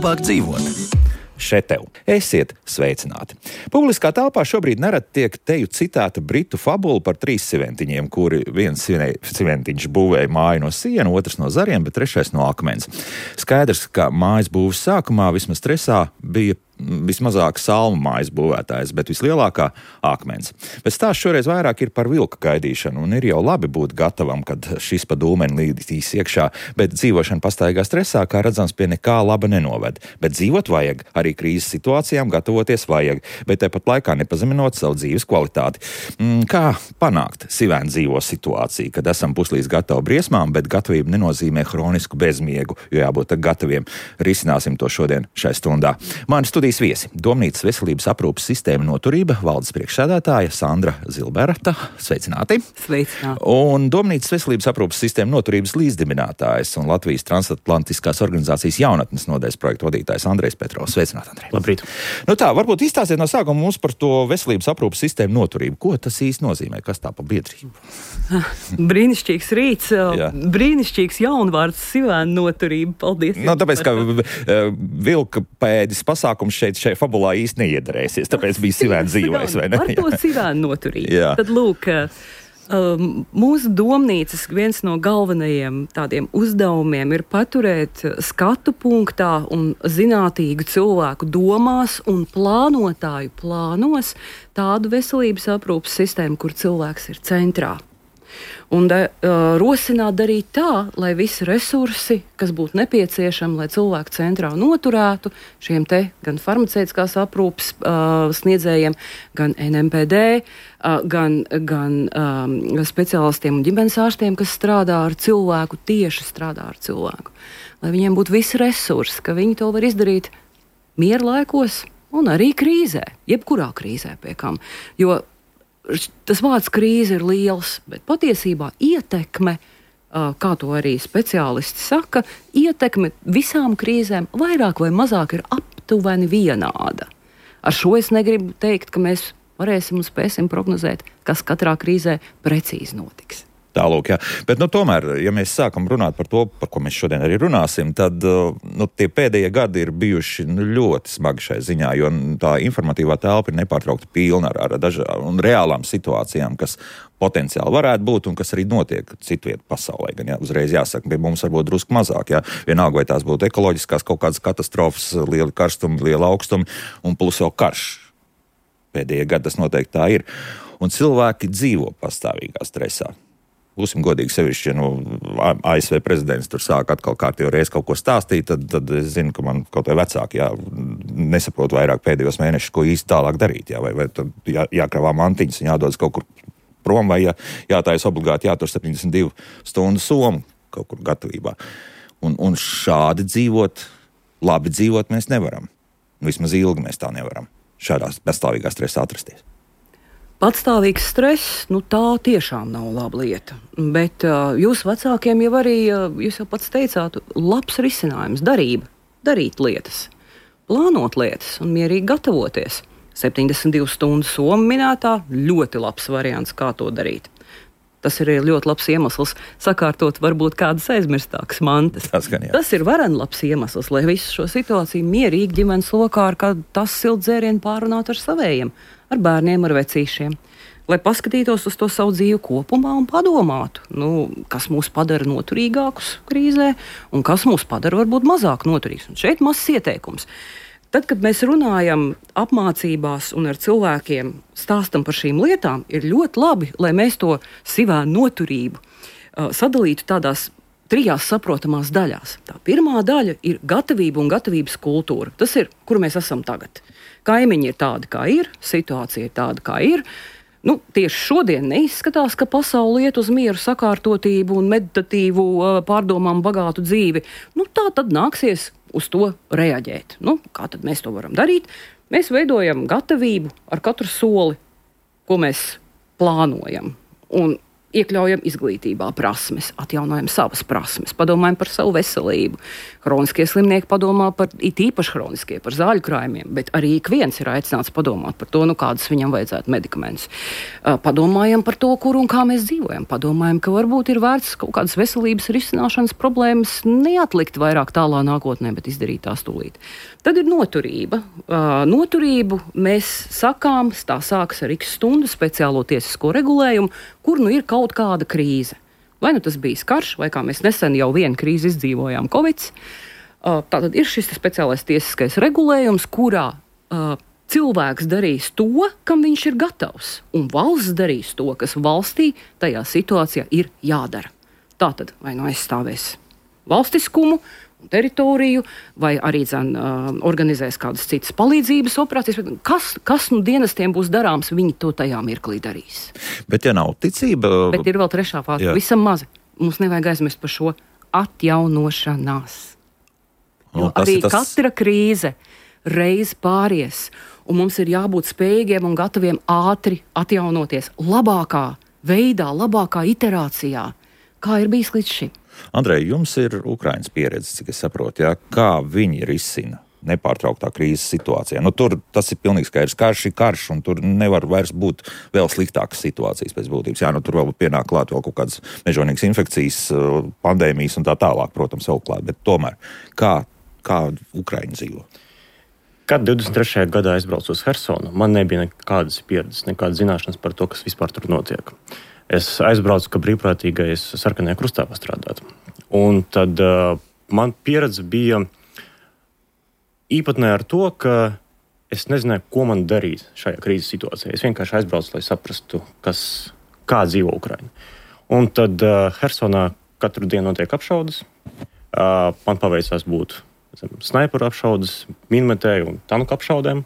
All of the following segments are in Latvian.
labāk dzīvot. Šeit tev. Esiet sveicināti. Publiskā telpā šobrīd nerad tiek teju citēta britu fabula par 3 siventiņiem, kuri viens siventiņš būvēja māju no siena, otrs no zariem, bet trešais no akmens. Skaidrs, ka mājas būves sākumā vismaz stresā bija vismazāk salmu mājas būvētājs, bet vislielākā akmens. Bet stāsts šoreiz vairāk ir par vilka gaidīšanu, un ir jau labi būt gatavam, kad šis pa dūmeni līdīs iekšā, bet dzīvošana pastaigā stresā, kā redzams, pie nekā laba nenoved. Bet dzīvot vajag, arī krīzes situācijām gatavoties vajag, bet tāpat laikā nepazeminot savu dzīves kvalitāti. Kā panākt sivēnu dzīvo situāciju, kad esam puslīdz gatavi briesmām, bet gatavība nenozīmē hronisku bezmiegu, jo jābūt gataviem. Risināsim to šodien šai stundā. Mani studijas viesi - Domnīcas veselības aprūpes sistēma noturība, valdes priekšsēdētāja Sandra Zilberta. Sveicināti! Sveicināti! Un Domnīcas veselības aprūpes sistēma noturības līdzdibinātājs un Latvijas transatlantiskās organizācijas jaunatnes nodaļas projektu vadītājs Andrejs Petrovs. Sveicināti, Andrej! Labrīt! Nu tā, varbūt izstāstiet no sākuma mums par to veselības aprūpes sistēmu noturību. Ko tas īsti nozīmē? Kas tā pa biedrību? Brīnišķīgs rīts, brīnišķīgs jaunvārds sivēnu noturība. Paldies! Nu, tāpēc, ka vilka pēdis pasākums šeit fabulā īsti neiedarēsies, tāpēc bija sivēnu dzīvais, vai ne? Par to sivēnu noturību. Tad lūk, mūsu domnīcas viens no galvenajiem tādiem uzdevumiem ir paturēt skatu punktā un zinātīgu cilvēku domās un plānotāju plānos tādu veselības aprūpes sistēmu, kur cilvēks ir centrā. Un rosināt darīt tā, lai visi resursi, kas būtu nepieciešami, lai cilvēku centrā noturētu šiem te gan farmaceitiskās aprūpes sniedzējiem, gan NMPD, gan speciālistiem un ģimenes ārstiem, kas strādā ar cilvēku, tieši strādā ar cilvēku. Lai viņiem būtu visi resursi, ka viņi to var izdarīt miera laikos un arī krīzē, jebkurā krīzē pie kam. Jo tas vārds krīze ir liels, bet patiesībā ietekme, kā to arī speciālisti saka, ietekme visām krīzēm vairāk vai mazāk ir aptuveni vienāda. Ar šo es negribu teikt, ka mēs varēsim un spēsim prognozēt, kas katrā krīzē precīzi notiks. Tālūk, jā. Bet, tomēr, ja mēs sākam runāt par to, par ko mēs šodien arī runāsim, tad, tie pēdējie gadi ir bijuši ļoti smagi šai ziņā, jo tā informatīvā telpa ir nepārtraukti pilna ar dažādām reālām situācijām, kas potenciāli varētu būt un kas arī notiek citviet pasaulē. Gan, jā, uzreiz jāsaka, pie mums varbūt drusku mazāk, jā. Vienalga, vai tās būtu ekoloģiskās kaut kādas katastrofas, lieli karstumi, liela augstumi un plus vēl karš. Pēdējie gadi tas noteikti tā ir. Un cilvēki dzīvo pastāvīgā stresā. Būsim godīgi, sevišķi, ja ASV prezidents tur sāk atkal kārtīgi reiz kaut ko stāstīt, tad es zinu, ka man kaut vai vecāki nesaprot vairāk pēdējos mēnešus, ko īsti tālāk darīt. Vai tad jākravā mantiņas un jādodas kaut kur prom, vai jātājas obligāti jātur 72 stundu somu kaut kur gatavībā. Un šādi dzīvot, labi dzīvot mēs nevaram. Vismaz ilgi mēs tā nevaram šādā pastāvīgā stresā atrasties. Patstāvīgs stress, tā tiešām nav laba lieta. Bet jūs vecākiem jau arī, jūs jau pats teicāt, labs risinājums, darīt lietas, plānot lietas un mierīgi gatavoties. 72 stundu soma minētā, ļoti labs variants, kā to darīt. Tas ir ļoti labs iemesls sakārtot varbūt kādas aizmirstākas mantas. Tas ir varen labs iemesls, lai visu šo situāciju mierīgi ģimenes lokā ar kādu tas siltu dzērienu pārunātu ar savējiem, ar bērniem, ar vecīšiem. Lai paskatītos uz to savu dzīvi kopumā un padomātu, kas mūs padara noturīgākus krīzē un kas mūs padara varbūt mazāk noturīgus. Un šeit mazs ieteikums. Tad, kad mēs runājam apmācībās un ar cilvēkiem stāstam par šīm lietām, ir ļoti labi, lai mēs to sivēnu noturību sadalītu tādās 3 saprotamās daļās. Tā pirmā daļa ir gatavība un gatavības kultūra. Tas ir, kur mēs esam tagad. Kaimiņi ir tādi, kā ir, situācija ir tāda, kā ir. Tieši šodien neizskatās, ka pasaule iet uz mieru, sakārtotību un meditatīvu pārdomām bagātu dzīvi. Tā tad nāksies uz to reaģēt. Kā tad mēs to varam darīt? Mēs veidojam gatavību ar katru soli, ko mēs plānojam. Un Iekļaujam izglītībā prasmes, atjaunojam savas prasmes, padomājam par savu veselību. Hroniskie slimnieki padomā par, it īpaši hroniskie, par zāļu krājumiem, bet arī ik viens ir aicināts padomāt par to, kādas viņam vajadzētu medikamentus. Padomājam par to, kur un kā mēs dzīvojam. Padomājam, ka varbūt ir vērts kaut kādas veselības risināšanas problēmas neatlikt vairāk tālā nākotnē, bet izdarīt tās tūlīt. Tad ir noturība. Noturību mēs sakām, tā sākas ar X stundu speciālo tiesisko regulējumu, kur ir kaut kāda krīze. Vai tas bijis karš, vai kā mēs nesen jau vienu krīzi izdzīvojām Covid. Tātad ir šis speciālais tiesiskais regulējums, kurā cilvēks darīs to, kam viņš ir gatavs, un valsts darīs to, kas valstī tajā situācijā ir jādara. Tātad vai aizstāvēs valstiskumu, teritoriju, vai arī organizēs kādas citas palīdzības operācijas. Kas dienestiem būs darāms, viņi to tajā mirklī darīs. Bet ja nav ticība... Bet ir vēl trešā fāze, visam mazi. Mums nevajag aizmirst par šo atjaunošanās. Jo arī katra krīze reiz pāries, un mums ir jābūt spējīgiem un gataviem ātri atjaunoties labākā veidā, labākā iterācijā, kā ir bijis līdz šim. Andrej, jums ir Ukrainas pieredze, cik es saprotu, kā viņi risina nepārtrauktā krīzes situācijā. Tur tas ir pilnīgi skaidrs. Karš ir karš, un tur nevar vairs būt vēl sliktākas situācijas pēc būtības. Tur vēl pienāk klāt vēl kaut kādas mežonīgas infekcijas, pandēmijas un tā tālāk, protams, vēl klāt. Bet tomēr, kā Ukraiņa dzīvo? Kad 23. gadā aizbraucu uz Hersonu, man nebija nekādas pieredzes, nekādas zināšanas par to, kas vispār tur notiek. Es aizbraucu, ka brīvprātīgais Sarkanajā krustā pastrādāt. Un tad man pieredze bija īpatnē ar to, ka es nezināju, ko man darīt šajā krīzes situācijā. Es vienkārši aizbraucu, lai saprastu, kā dzīvo Ukraina. Un tad Hersonā katru dienu notiek apšaudes. Man paveicās būt snaiperu apšaudes, minmetēju un tanku apšaudēm.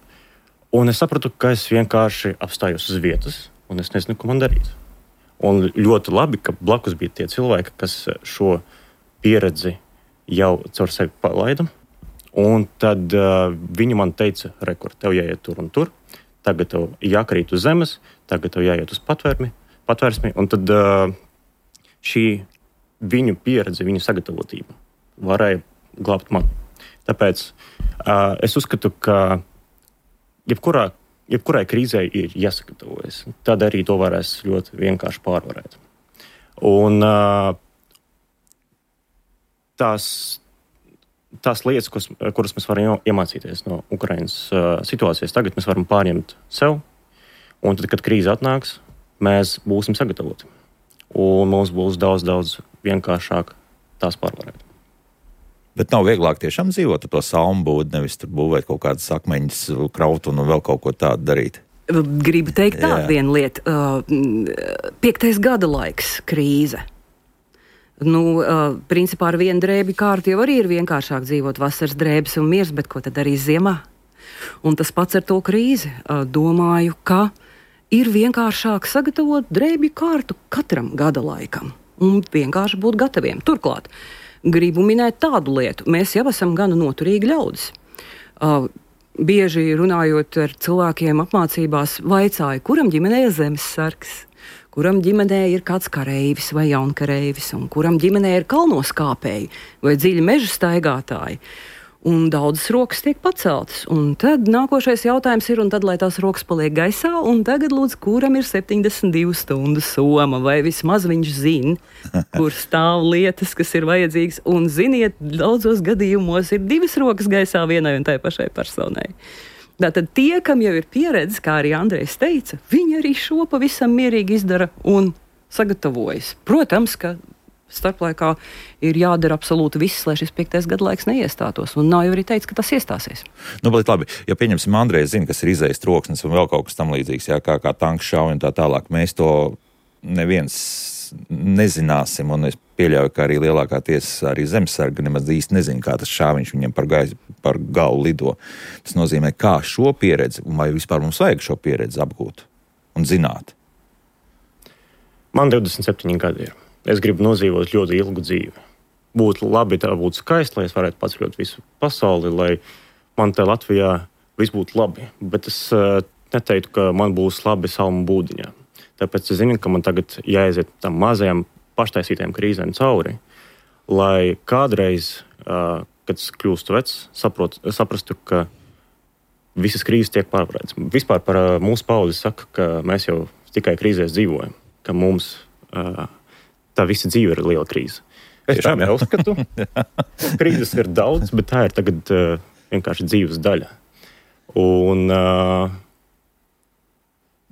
Un es sapratu, ka es vienkārši apstājos uz vietas, un es nezinu, ko man darīt. Un ļoti labi, ka blakus bija tie cilvēki, kas šo pieredzi jau caur sevi palaida. Un tad viņi man teica, rekord, tev jāiet tur un tur, tagad tev jākrīt uz zemes, tagad tev jāiet uz patvērsmi. Un tad šī viņu pieredze, viņu sagatavotība varēja glābt mani. Tāpēc es uzskatu, ka jebkurai krīzē ir jāsagatavojas. Tad arī to varēs ļoti vienkārši pārvarēt. Un tās lietas, kuras mēs varam iemācīties no Ukrainas situācijas, tagad mēs varam pārņemt sev. Un tad, kad krīze atnāks, mēs būsim sagatavoti. Un mums būs daudz vienkāršāk tās pārvarēt. Bet nav vieglāk tiešām dzīvot ar to salmbūdi, nevis tur būvēt kaut kādas akmeņas, kraut un vēl kaut ko tādu darīt. Gribu teikt tādu vienu lietu. 5. gada laiks krīze. Principā ar vienu drēbi kārtu jau arī ir vienkāršāk dzīvot vasaras drēbes un miers, bet ko tad darīs ziemā? Un tas pats ar to krīzi. Domāju, ka ir vienkāršāk sagatavot drēbju kārtu katram gada laikam un vienkārši būt gataviem. Turklāt, gribu minēt tādu lietu. Mēs jau esam gana noturīgi ļaudis. Bieži runājot ar cilvēkiem apmācībās, vaicāju, kuram ģimenē ir zemessargs, kuram ģimenē ir kāds kareivis vai jaunkareivis, un kuram ģimenē ir kalnoskāpēji vai dziļi meža staigātāji. Un daudzas rokas tiek paceltas. Un tad nākošais jautājums ir, un tad, lai tās rokas paliek gaisā, un tagad lūdzu, kuram ir 72 stundu soma, vai vismaz viņš zina, kur stāv lietas, kas ir vajadzīgas. Un ziniet, daudzos gadījumos ir 2 rokas gaisā vienai un tai pašai personai. Tātad tie, kam jau ir pieredze, kā arī Andrejs teica, viņi arī šo pavisam mierīgi izdara un sagatavojas. Protams, ka starplaikā ir jādara absolūti viss, lai šis 5. gadlaiks neiestātos. Un nav jau arī teicis, ka tas iestāsies. Bet labi, ja pieņemsim Andrejs zina, kas ir izējas troksnis un vēl kaut kas tam līdzīgs, kā tanks šauj un tā tālāk, mēs to neviens nezināsim, un es pieļauju, ka arī lielākā tiesa arī zemesarga nemaz īsti nezina, kā tas šāviņš viņam par galvu lido. Tas nozīmē, kā šo pieredzi, un vai vispār mums vajag šo pieredzi apgūt un zināt? Man 27 gadi ir. Es gribu nodzīvot ļoti ilgu dzīvi. Būtu labi, tā būtu skaisti, lai es varētu paceļot visu pasauli, lai man te Latvijā viss būtu labi. Bet es neteiktu, ka man būs labi salmu būdiņā. Tāpēc es zinu, ka man tagad jāaiziet tam mazajām paštaisītajām krīzēm cauri, lai kādreiz, kad es kļūstu vecs, saprastu, ka visas krīzes tiek pārvarētas. Vispār par mūsu paudzi saka, ka mēs jau tikai krīzēs dzīvojam, ka mums tā visa dzīve ir liela krīze. Es tā neuzskatu. Krīzes ir daudz, bet tā ir tagad vienkārši dzīves daļa. Un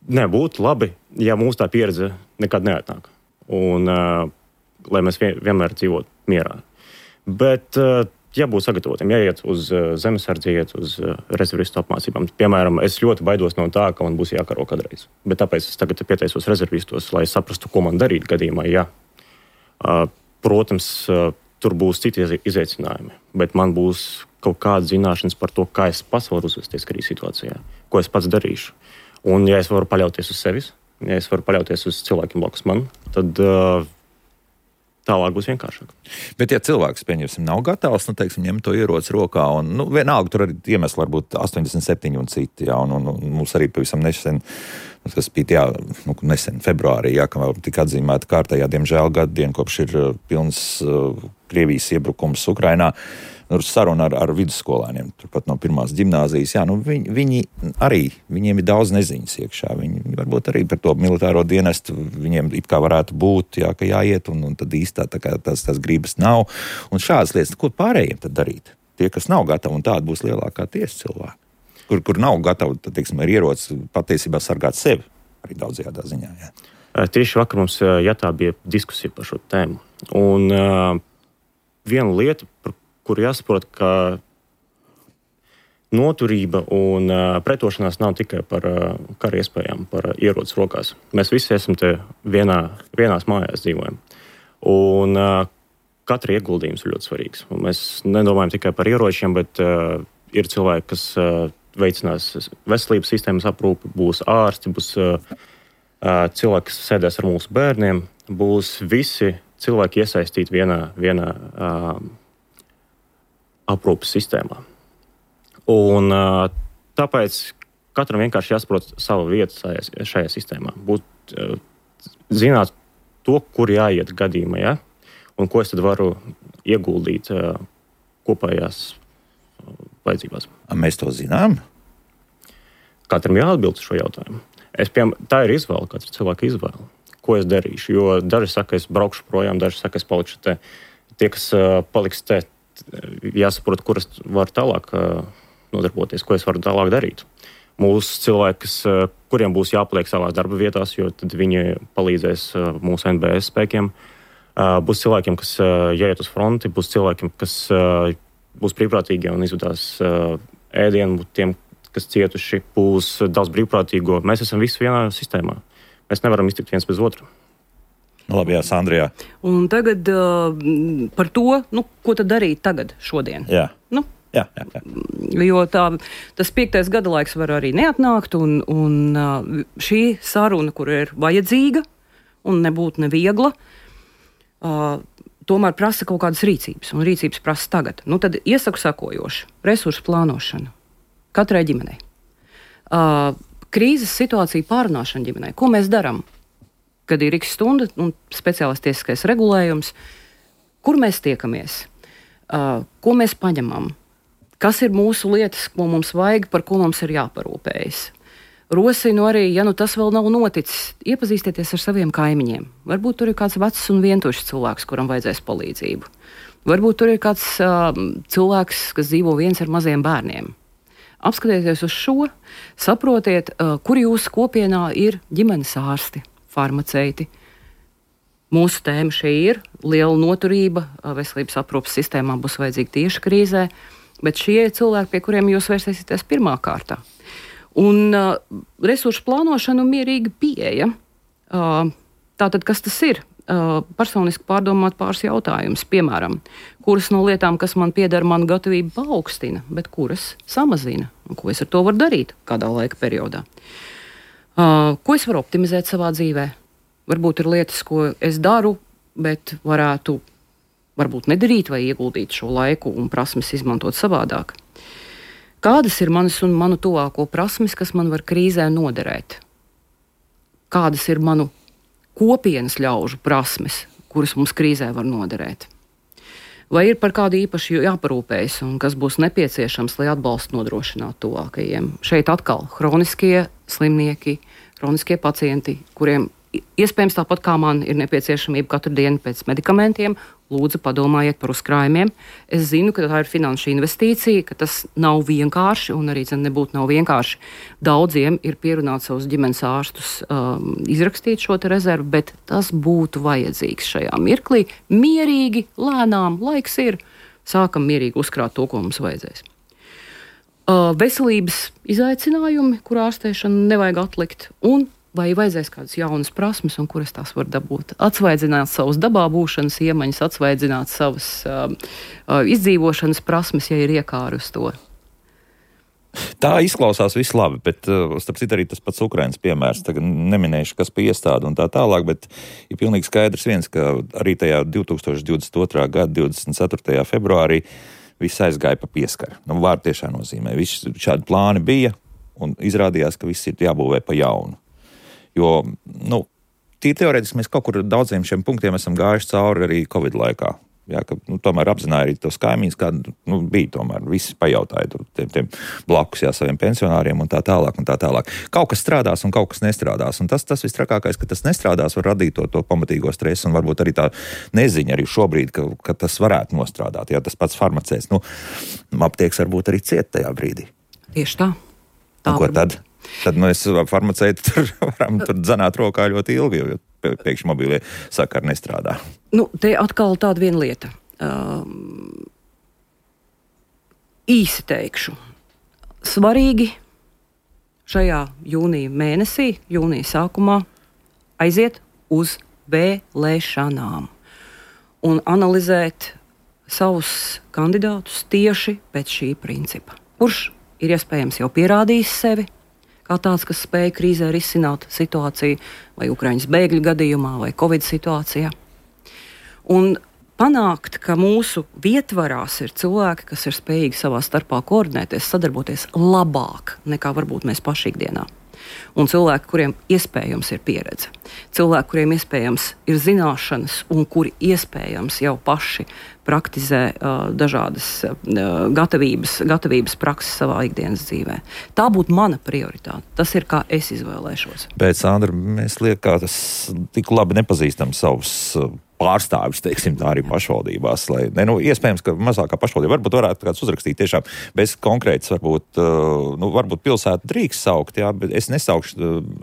nebūtu labi, ja mums tā pieredze nekad neatnāk. Un lai mēs vienmēr dzīvotu mierā. Bet jābūt sagatavotiem, jāiet uz zemesardzi, jāiet uz rezervistu apmācībām. Piemēram, es ļoti baidos no tā, ka man būs jākaro kādreiz. Bet tāpēc es tagad pieteisos rezervistos, lai saprastu, ko man darīt gadījumā, ja. Protams, tur būs citi izaicinājumi, bet man būs kaut kāda zināšanas par to, kā es pats varu uzvesties krīzes situācijā, ko es pats darīšu. Un ja es varu paļauties uz sevis, ja es varu paļauties uz cilvēkiem blakus man, tad tālāk būs vienkāršāk. Bet, ja cilvēks, pieņemsim, nav gatavs, ņem to ieroci rokā, un vienalga tur arī iemesli var būt 87 un citi, jā, un mums arī pavisam nesen, tas bija nesen februārī, jā, ka tika atzīmēta kārtējā, diemžēl, gadu dienu, kopš ir pilns Krievijas iebrukums Ukrainā. Saruna ar vidusskolēniem, turpat no pirmās ģimnāzijas. Jā, viņiem ir daudz neziņas iekšā. Viņi varbūt arī par to militāro dienestu viņiem it kā varētu būt, jā, ka jāiet, un tad īstā tās gribas nav. Un šādas lietas, ko pārējiem tad darīt? Tie, kas nav gatavi, un tāda būs lielākā tiesa cilvēki. Kur nav gatavi, tad, ar ieroci patiesībā sargāt sevi, arī daudzajādā ziņā. Jā. Tieši vakar mums jātā bija diskusija par šo tēmu. Un viena lieta, par kur jāsaprot, ka noturība un pretošanās nav tikai par kara iespējām, par ieroci rokās. Mēs visi esam te vienās mājās dzīvojam. Un katra ieguldījums ir ļoti svarīgs. Un mēs nedomājam tikai par ieročiem, bet ir cilvēki, kas veicinās veselības sistēmas aprūpi, būs ārsti, būs cilvēki, kas sēdēs ar mūsu bērniem, būs visi cilvēki iesaistīti vienā aprūpes sistēmā. Un tāpēc katram vienkārši jāsaprot savu vietu šajā sistēmā. Zināt to, kur jāiet gadījumā, ja? Un ko es tad varu ieguldīt kopējās vajadzībās. Mēs to zinām? Katram jāatbild šo jautājumu. Tā ir izvēle, katra cilvēka izvēle. Ko es darīšu? Jo daži saka, es braukšu projām, daži saka, es palikšu te. Tie, kas paliks te, jāsaprot, kur es varu tālāk nodarboties, ko es varu tālāk darīt. Mūsu cilvēki, kuriem būs jāpaliek savās darba vietās, jo tad viņi palīdzēs mūsu NBS spēkiem. Būs cilvēkiem, kas jāiet uz fronti, būs cilvēkiem, kas būs brīvprātīgi un izvedās ēdienu, tiem, kas cietuši, būs daudz brīvprātīgo. Mēs esam visi vienā sistēmā. Mēs nevaram iztikt viens bez otra. Labi, jā, Sandrijā. Un tagad par to, ko tad darīt tagad, šodien? Jā. Jā. Jo tas 5. gada laiks var arī neatnākt, un šī saruna, kur ir vajadzīga un nebūtu neviegla, tomēr prasa kaut kādas rīcības, un rīcības prasa tagad. Tad iesaku sakojošu resursu plānošanu katrai ģimenei. Krīzes situācija pārunāšana ģimenei. Ko mēs darām? Kad ir X stunda un speciālais tiesiskais regulējums, kur mēs tiekamies, ko mēs paņemam, kas ir mūsu lietas, ko mums vajag, par ko mums ir jāparūpējas. Rosinu arī, ja tas vēl nav noticis, iepazīstieties ar saviem kaimiņiem. Varbūt tur ir kāds vecs un vientušs cilvēks, kuram vajadzēs palīdzību. Varbūt tur ir kāds cilvēks, kas dzīvo viens ar maziem bērniem. Apskatieties uz šo, saprotiet, kur jūsu kopienā ir ģimenes ārsti, farmaceiti. Mūsu tēma šī ir liela noturība, veselības aprūpes sistēmā būs vajadzīga tieši krīzē, bet šie ir cilvēki, pie kuriem jūs vērsēsieties pirmā kārtā. Un resursu plānošana un mierīga pieeja. Tātad, kas tas ir? Personiski pārdomāt pāris jautājumus. Piemēram, kuras no lietām, kas man pieder, man gatavība paaugstina, bet kuras samazina? Un ko es ar to varu darīt kādā laika periodā? Ko es varu optimizēt savā dzīvē? Varbūt ir lietas, ko es daru, bet varētu varbūt nedarīt vai ieguldīt šo laiku un prasmes izmantot savādāk. Kādas ir manas un manu tuvāko prasmes, kas man var krīzē noderēt? kādas ir manu kopienas ļaužu prasmes, kuras mums krīzē var noderēt. Vai ir par kādu īpaši jāparūpējas un kas būs nepieciešams, lai atbalstu nodrošinātu tuvākajiem. Šeit atkal hroniskie slimnieki, hroniskie pacienti, kuriem iespējams tāpat kā man ir nepieciešamība katru dienu pēc medikamentiem, lūdzu padomājiet par uzkrājumiem. Es zinu, ka tā ir finanšu investīcija, ka tas nav vienkārši un arī nebūtu nav vienkārši. Daudziem ir pierunāts savus ģimenes ārstus izrakstīt šo te rezervu, bet tas būtu vajadzīgs šajā mirklī. Mierīgi, lēnām, laiks ir, sākam mierīgi uzkrāt to, ko mums vajadzēs. Veselības izaicinājumi, kur ārstēšanu nevajag atlikt, un vai vajadzēs kādas jaunas prasmes, un kuras tās var dabūt. Atsvaidzināt savus dabā būšanas iemaņas, atsvaidzināt savas izdzīvošanas prasmes, ja ir iekāri uz to. Tā izklausās viss labi, bet starp citu arī tas pats Ukrainas piemērs, tagad neminēšu, kas pie iestāde un tā tālāk, bet ir pilnīgi skaidrs viens, ka arī tajā 2022. gada 24. februārī viss aizgāja pa pieskaru. Vārdu tiešā nozīmē. Visi šādi plāni bija un izrādījās, ka viss ir jābūvē pa jaunu. Jo, tīri teorētiski mēs kaut kur daudziem šiem punktiem esam gājuši cauri arī Covid laikā. Jā, ka, tomēr apzināja arī tos kaimiņus, kāda bija tomēr. Visi pajautāja tiem blakus saviem pensionāriem un tā tālāk un tā tālāk. Kaut kas strādās un kaut kas nestrādās. Un tas vistrakākais, ka tas nestrādās, var radīt to pamatīgo stresu un varbūt arī tā neziņa arī šobrīd, ka tas varētu nostrādāt. Jā, tas pats farmaceits. Aptieks varbūt arī ciet tajā brīdī. Tieši tā. Ko tad? Tad mēs farmaceiti varam dzanāt rokā ļoti ilgi, jo pēkšņi mobilie sakari nestrādā. Te atkal tāda viena lieta. Īsi teikšu. Svarīgi šajā jūnija mēnesī, jūnija sākumā, aiziet uz vēlēšanām un analizēt savus kandidātus tieši pēc šī principa. Kurš ir iespējams jau pierādījis sevi, kā tāds, kas spēja krīzē risināt situāciju, vai Ukraiņas bēgļu gadījumā, vai Covid situācijā. Un panākt, ka mūsu vietvarās ir cilvēki, kas ir spējīgi savā starpā koordinēties, sadarboties labāk nekā varbūt mēs paši ikdienā. Un cilvēki, kuriem iespējams ir pieredze, cilvēki, kuriem iespējams ir zināšanas un kuri iespējams jau paši praktizē dažādas gatavības prakses savā ikdienas dzīvē. Tā būtu mana prioritāte. Tas ir, kā es izvēlēšos. Bet, Sandra, mēs liekas, tik labi nepazīstam savus pārstāvis, teiksim, tā arī pašvaldībās. Iespējams, ka mazākā pašvaldība varbūt varētu kāds uzrakstīt tiešām bez konkrētas, varbūt pilsētu drīkst saukt, jā, bet es nesaukšu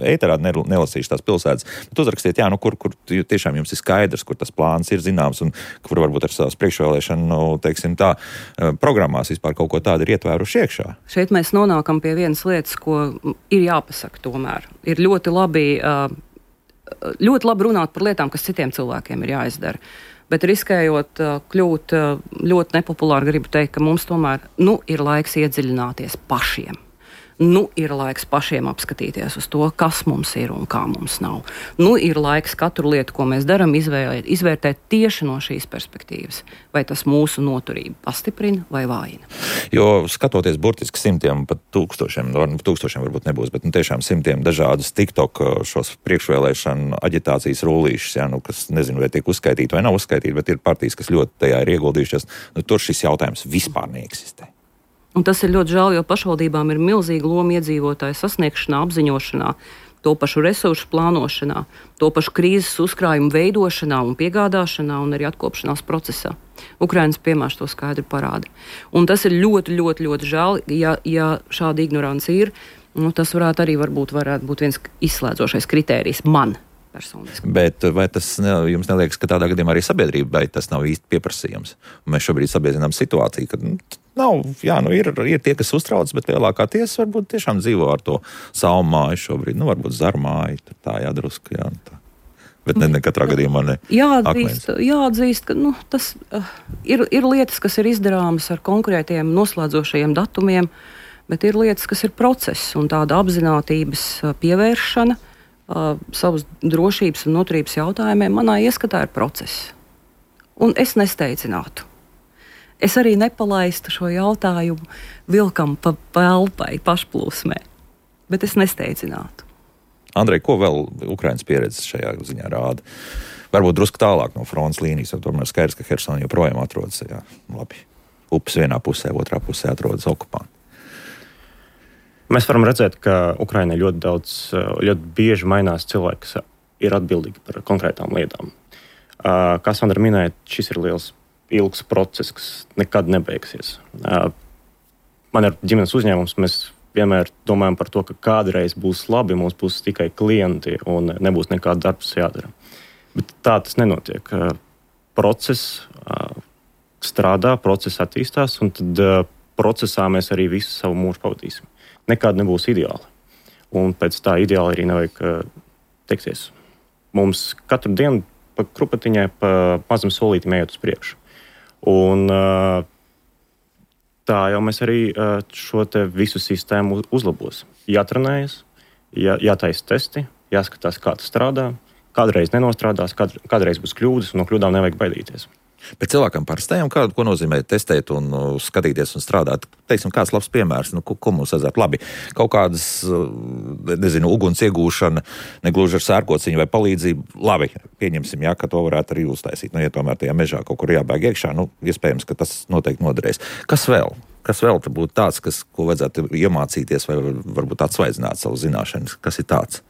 ēterā, nelasīšu tās pilsētas, bet uzrakstiet, jā, kur tiešām jums ir skaidrs, kur tas plāns ir zināms un kur varbūt ar savas priekšvēlēšanu, teiksim tā, programmās vispār kaut ko tādu ir ietvēruši iekšā. Šeit mēs nonākam pie vienas lietas, ko ir jāpasaka tomēr. Ir ļoti labi runāt par lietām, kas citiem cilvēkiem ir jāizdara. Bet riskējot kļūt ļoti nepopulāri, gribu teikt, ka mums tomēr ir laiks iedziļināties pašiem. Ir laiks pašiem apskatīties uz to, kas mums ir un kā mums nav. Ir laiks katru lietu, ko mēs darām, izvērtēt tieši no šīs perspektīvas. Vai tas mūsu noturību pastiprina vai vājina. Jo skatoties burtiski simtiem, pat tūkstošiem varbūt nebūs, bet tiešām simtiem dažādus TikTok šos priekšvēlēšanu aģitācijas rullīšus, jā, kas nezinu, vai tiek uzskaitīti vai nav uzskaitīti, bet ir partijas, kas ļoti tajā ir ieguldījušies. Tur šis jautājums vispār neeksistē. Un tas ir ļoti žēl, jo pašvaldībām ir milzīga loma iedzīvotāju sasniegšanā, apziņošanā, to pašu resursu plānošanā, to pašu krīzes uzkrājumu veidošanā un piegādāšanā un arī atkopšanās procesā. Ukrainas piemērs to skaidri parāda. Un tas ir ļoti, ļoti, ļoti žēl, ja šāda ignorance ir. Tas varētu būt viens izslēdzošais kritērijs man personiski. Bet vai tas jums neliekas, ka tādā gadījumā arī sabiedrībai tas nav īsti pieprasījums? Un mēs šobrīd sabiedrinām situāciju, ka ir tie, kas uztrauc, bet lielākā tiesa varbūt tiešām dzīvo ar to savu māju šobrīd. Varbūt zaru māju, tā jādrusku, jā. Tā. Bet ne katrā gadījumā ne. Jāatzīst, ka tas ir lietas, kas ir izdarāmas ar konkrētiem noslēdzošajiem datumiem, bet ir lietas, kas ir process un tāda apzinātības pievēršana savas drošības un noturības jautājumiem manā ieskatā ir process. Un es nesteidzinātu. Es arī nepalaistu šo jautājumu vilkam pa elpai, pašplūsmē, bet es nesteidzinātu. Andrej, ko vēl Ukrainas pieredze šajā ziņā rāda? Varbūt drusku tālāk no frontes līnijas, jo tomēr skaidrs, ka Hersona joprojām atrodas, labi, upes vienā pusē, otrā pusē atrodas okupanti. Mēs varam redzēt, ka Ukrainai ļoti bieži mainās cilvēki, kas ir atbildīgi par konkrētām lietām. Kā Sandra minēja, šis ir ilgs process, kas nekad nebeigsies. Man ir ģimenes uzņēmums, mēs vienmēr domājam par to, ka kādreiz būs labi, mums būs tikai klienti un nebūs nekāda darbs jādara. Bet tā tas nenotiek. Process strādā, process attīstās, un tad procesā mēs arī visu savu mūžu pavadīsim. Nekāda nebūs ideāla. Un pēc tā ideāla arī nevajag teikties. Mums katru dienu pa krupatiņai, pa mazam solītim ejot uz priekšu. Un tā jau mēs arī šo te visu sistēmu uzlabosim. Jātrenējas, jātaisa testi, jāskatās, kā tas strādā. Kādreiz nenostrādās, kādreiz būs kļūdas, un no kļūdām nevajag baidīties. Bet cilvēkam parastajam, ko nozīmē testēt un skatīties un strādāt? Teiksim, kāds labs piemērs, ko mums vajadzētu labi? Kaut kādas, uguns iegūšana, negluži ar sērkociņu vai palīdzību. Labi, pieņemsim, ka to varētu arī uztaisīt. Ja tomēr tajā mežā kaut kur jābēg iekšā, iespējams, ka tas noteikti noderēs. Kas vēl? Kas vēl te būtu tāds, ko vajadzētu iemācīties vai varbūt atsvaidzināt savu zināšanas? Kas ir tāds?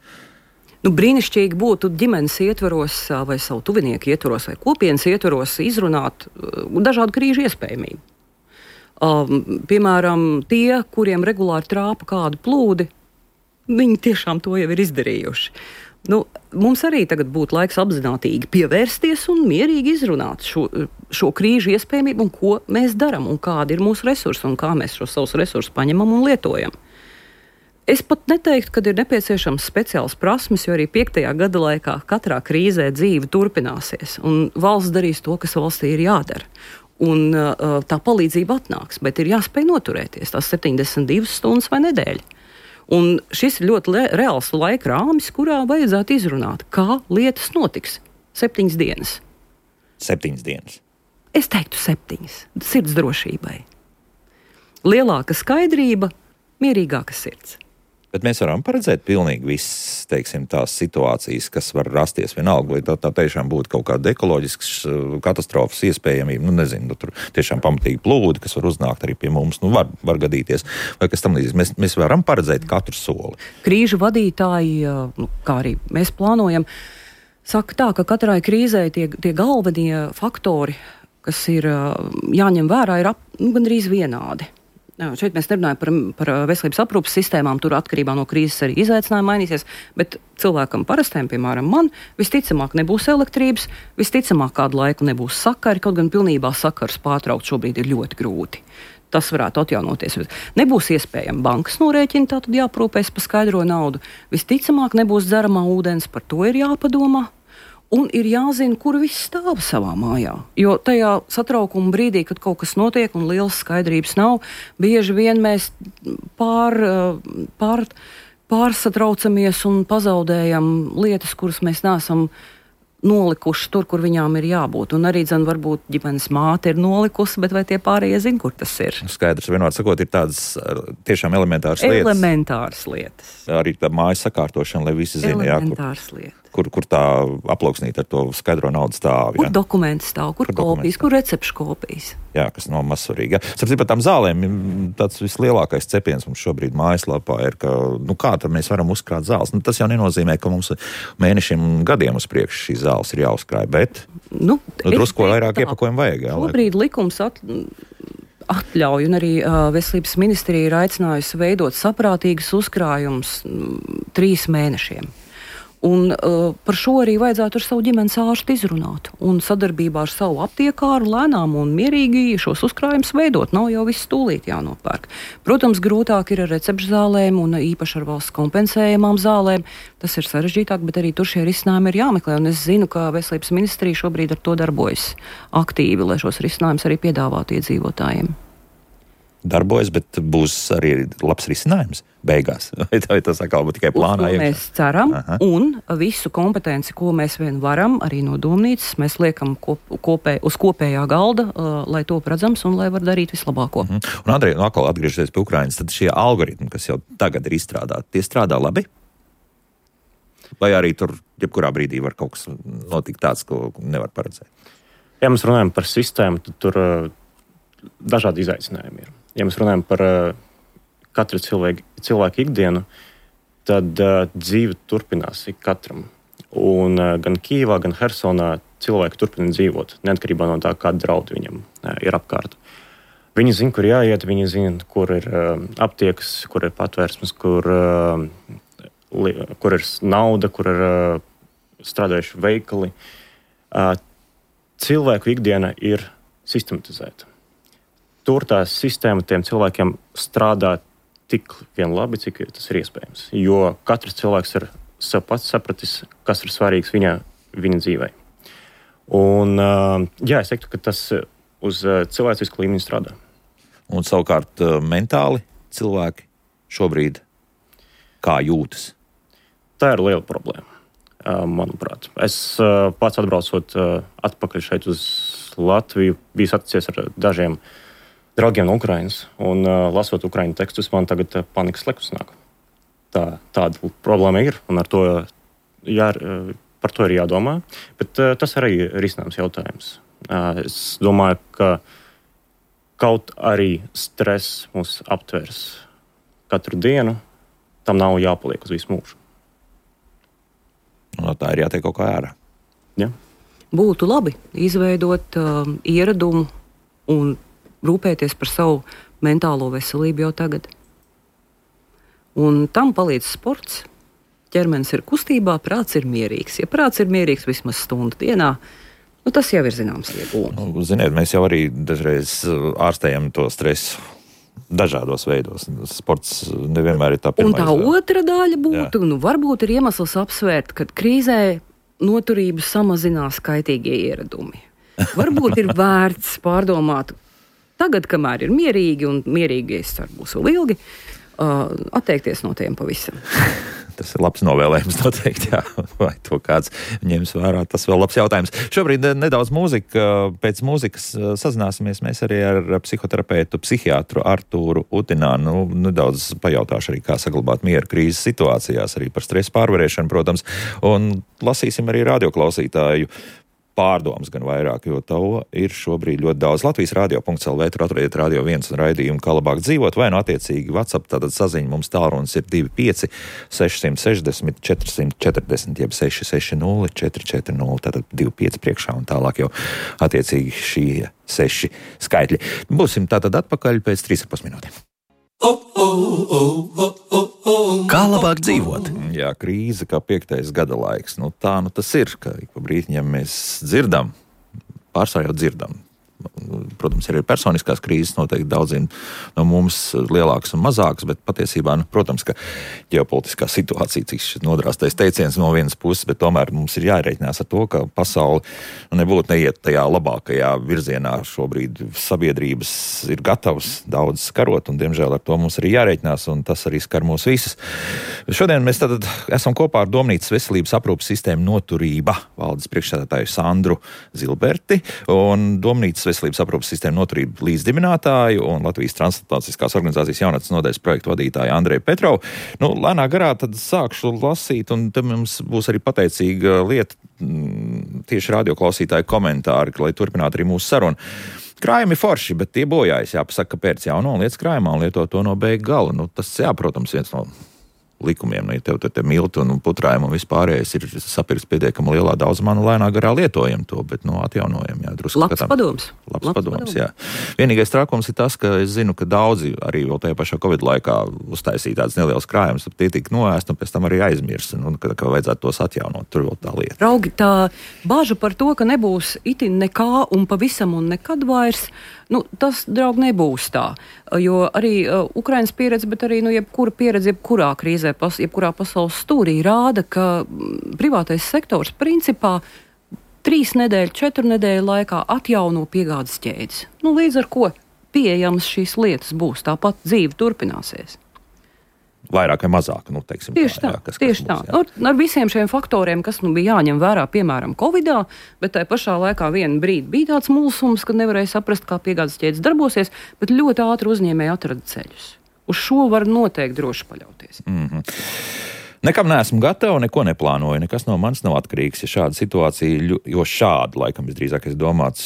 Brīnišķīgi būtu ģimenes ietvaros vai savu tuvinieku ietvaros vai kopienas ietvaros izrunāt dažādu krīžu iespējamību. Piemēram, tie, kuriem regulāri trāpa kādu plūdi, viņi tiešām to jau ir izdarījuši. Mums arī tagad būtu laiks apzinātīgi pievērsties un mierīgi izrunāt šo krīžu iespējamību un ko mēs darām un kādi ir mūsu resursi un kā mēs šos savus resursus paņemam un lietojam. Es pat neteiktu, ka ir nepieciešams speciāls prasmes, jo arī 5. gada laikā katrā krīzē dzīve turpināsies, un valsts darīs to, kas valstī ir jādara. Un tā palīdzība atnāks, bet ir jāspēj noturēties tās 72 stundas vai nedēļa. Un šis ir ļoti reāls laika rāmis, kurā vajadzētu izrunāt, kā lietas notiks 7 dienas. 7 dienas? Es teiktu 7, sirds drošībai. Lielāka skaidrība, mierīgāka sirds. Bet mēs varam paredzēt pilnīgi visas, teiksim, tās situācijas, kas var rasties vienalga, lai tā tiešām būtu kaut kāda ekoloģiskas katastrofas iespējamība. Tur tiešām pamatīgi plūdi, kas var uznākt arī pie mums, var gadīties. Vai kas tam līdzīgs? Mēs varam paredzēt katru soli. Krīžu vadītāji, kā arī mēs plānojam, saka tā, ka katrai krīzē tie galvenie faktori, kas ir jāņem vērā, ir gandrīz vienādi. Šeit mēs nerunājam par veselības aprūpes sistēmām, tur atkarībā no krīzes arī izaicinājumi mainīsies, bet cilvēkam parastiem, piemēram, man, visticamāk nebūs elektrības, visticamāk kādu laiku nebūs sakari, kaut gan pilnībā sakars pārtraukt šobrīd ir ļoti grūti. Tas varētu atjaunoties. Nebūs iespējama bankas norēķina, tātad jāprūpēs par skaidro naudu. Visticamāk nebūs dzeramā ūdens, par to ir jāpadomā. Un ir jāzina, kur viss stāv savā mājā. Jo tajā satraukuma brīdī, kad kaut kas notiek un lielas skaidrības nav, bieži vien mēs pārsatraucamies un pazaudējam lietas, kuras mēs neesam nolikuši tur, kur viņām ir jābūt. Un arī, varbūt ģimenes māte ir nolikusi, bet vai tie pārējie zina, kur tas ir? Skaidrs, vienmēr sakot, ir tādas tiešām elementāras lietas. Elementāras lietas. Arī tā mājas sakārtošana, lai visi zina, elementāras lietas. Kur tā aplauksnīta ar to skaidro naudu stāv. Kur dokumenti stāv, kur kopijas, kur recepšu kopijas. Jā, kas nav mazsvarīgi. Sapratu, par tām zālēm, tāds vislielākais cepiens mums šobrīd mājaslapā ir, ka, kā tad mēs varam uzkrāt zāles. Tas jau nenozīmē, ka mums mēnešiem un gadiem uz priekšu šīs zāles ir jāuzkrāj, bet drusku vairāk iepakojumu vajag. Šobrīd likums atļauj, un arī Veselības ministrija ir aicinājusi veidot saprātīgas uzkrājumus 3 mēnešiem. Un par šo arī vajadzētu ar savu ģimenes ārstu izrunāt. Un sadarbībā ar savu aptiekāru lēnām un mierīgi šos uzkrājumus veidot. Nav jau viss tūlīt jānopērk. Protams, grūtāk ir ar recepšu zālēm un īpaši ar valsts kompensējamām zālēm. Tas ir sarežģītāk, bet arī tur šie risinājumi ir jāmeklē. Un es zinu, ka Veselības ministrija šobrīd ar to darbojas aktīvi, lai šos risinājumus arī piedāvātu iedzīvotājiem. Darbojas, bet būs arī labs risinājums beigās. Vai tas atkal būtu tikai plānā? Mēs ceram, un visu kompetenci, ko mēs vien varam, arī no domnīcas, mēs liekam uz kopējā galda, lai to redzams un lai var darīt vislabāko. Un Andrej, atkal atgriežoties pie Ukrainas, tad šie algoritmi, kas jau tagad ir izstrādāti, tie strādā labi? Vai arī tur jebkurā brīdī var kaut kas notikt tāds, ko nevar paredzēt? Ja mēs runājam par sistēmu, tad tur dažādi izaicinājumi ir. Ja mēs runājam par katru cilvēku ikdienu, tad dzīve turpinās ik katram. Un gan Kijevā, gan Hersonā cilvēki turpina dzīvot, neatkarībā no tā, kāda draudi viņam ir apkārt. Viņi zina, kur jāiet, viņi zina, kur ir aptiekas, kur ir patvērsmes, kur ir nauda, kur ir strādājuši veikali. Cilvēku ikdiena ir sistematizēta. Tur tā sistēma tiem cilvēkiem strādā tik vien labi, cik tas ir iespējams. Jo katrs cilvēks ir sev pats sapratis, kas ir svarīgs viņa dzīvē. Un, es teiktu, ka tas uz cilvēcisku līmeni strādā. Un savukārt mentāli cilvēki šobrīd kā jūtas? Tā ir liela problēma, manuprāt. Es pats atbraucot atpakaļ šeit uz Latviju, biju saticies ar dažiem draugiem no Ukrainas, un lasot ukraiņu tekstus, man tagad panikas lekus nāk. Tāda problēma ir, un par to ir jādomā, bet tas arī ir risināms jautājums. Es domāju, ka kaut arī stress mūs aptvers katru dienu, tam nav jāpaliek uz visu mūžu. No tā ir jātiek kaut kā ārā. Ja? Būtu labi izveidot ieradumu un rūpēties par savu mentālo veselību jau tagad. Un tam palīdz sports. Ķermenis ir kustībā, prāts ir mierīgs. Ja prāts ir mierīgs vismaz stundu dienā, tas jau ir zināms iegūms. Ziniet, mēs jau arī dažreiz ārstējam to stresu dažādos veidos. Sports nevienmēr ir tā pirmā. Un tā otra daļa būtu, varbūt ir iemesls apsvērt, ka krīzē noturību samazinās kaitīgie ieradumi. Varbūt ir vērts pārdomāt tagad, kamēr ir mierīgi, un mierīgi es ceru būs vēl ilgi, atteikties no tiem pavisam. Tas ir labs novēlējums noteikti, jā. Vai to kāds ņems vērā, tas vēl labs jautājums. Šobrīd nedaudz mūzika, pēc mūzikas sazināsimies mēs arī ar psihoterapeitu, psihiatru Artūru Utinānu. Nedaudz pajautāšu arī, kā saglabāt mieru krīzes situācijās, arī par stresu pārvarēšanu, protams, un lasīsim arī radioklausītāju pārdomas gan vairāk, jo to ir šobrīd ļoti daudz. Latvijas radio.lv, tur atradiet Radio 1 un raidījumu, kā labāk dzīvot, vai attiecīgi WhatsApp, tātad saziņa mums tālrunis ir 25 660 440, jeb 660 440, tātad 25 priekšā un tālāk jau attiecīgi šie 6 skaitļi. Būsim tātad atpakaļ pēc 3,5 minūtēm. Kā labāk dzīvot? Jā, krīze kā 5. gada laiks. Tā tas ir, ka pa brītiņiem mēs dzirdam, pārsvarā jau dzirdam. Protams, ir personiskās krīzes, noteikti daudziem no mums lielākas un mazākas, bet patiesībā, protams, ka ģeopolitiskā situācija, cik šis nodrāstais teiciens no vienas puses, bet tomēr mums ir jārēķinās ar to, ka pasauli nebūtu neiet tajā labākajā virzienā. Šobrīd sabiedrības ir gatavas daudz skarot, un diemžēl ar to mums arī jārēķinās, un tas arī skar mūs visus. Šodien mēs tad esam kopā ar Domnīcas veselības aprūpes sistēmu noturība valdes priekšsēdētāju Sandru Zilberti un Domnīcas veselības aprūpes sistēmu noturību līdzdibinātāju un Latvijas transplantācijas organizācijas jaunatnes nodaļas projektu vadītāju Andreju Petrovu. Lēnā garā tad sākšu lasīt, un te mums būs arī pateicīga lieta, tieši radioklausītāju komentāri, lai turpinātu arī mūsu sarunu. Krājumi forši, bet tie bojājas, jāpasaka, ka pēc jauno lietas krājumā un lieto to no beigu gala. Tas, protams, viens no likumiem, ja tev te milti un putrājumi un vispārējais ir sapirks pietiekami lielā daudzumā, lēnā garā lietojam to, bet atjaunojam, jā, drusku Labs padoms. Labs padoms, jā. Vienīgais trakums ir tas, ka es zinu, ka daudzi arī vēl tajā pašā Covid laikā uztaisīja tāds neliels krājums, tie tika noēst un pēc tam arī aizmirst, ka vajadzētu tos atjaunot, tur vēl tā lieta. Raugi, tā bāža par to, ka nebūs itin nekā un pavisam un nekad vairs, tas, draugi, nebūs tā. Jo arī Ukrainas pieredze, bet arī jebkura pieredze, jebkurā krīzē, jebkurā pasaules stūrī rāda, ka privātais sektors principā 3 nedēļu, 4 nedēļu laikā atjauno piegādes ķēdes. Līdz ar ko pieejamas šīs lietas būs, tāpat dzīve turpināsies. Vairāk vai mazāk, teiksim. Tieši tā, tieši tā. Ar visiem šiem faktoriem, kas bija jāņem vērā, piemēram, Covidā, bet tajā pašā laikā vienu brīdi bija tāds mulsums, kad nevarēja saprast, kā piegādes ķēdes darbosies, bet ļoti ātri uzņēmēji atrada ceļus. Uz šo var noteikti droši paļauties. Nekam neesmu gatava, neko neplānoju, nekas no manis nav atkarīgs. Ja šāda situācija, jo šāda, laikam, visdrīzākais domāts,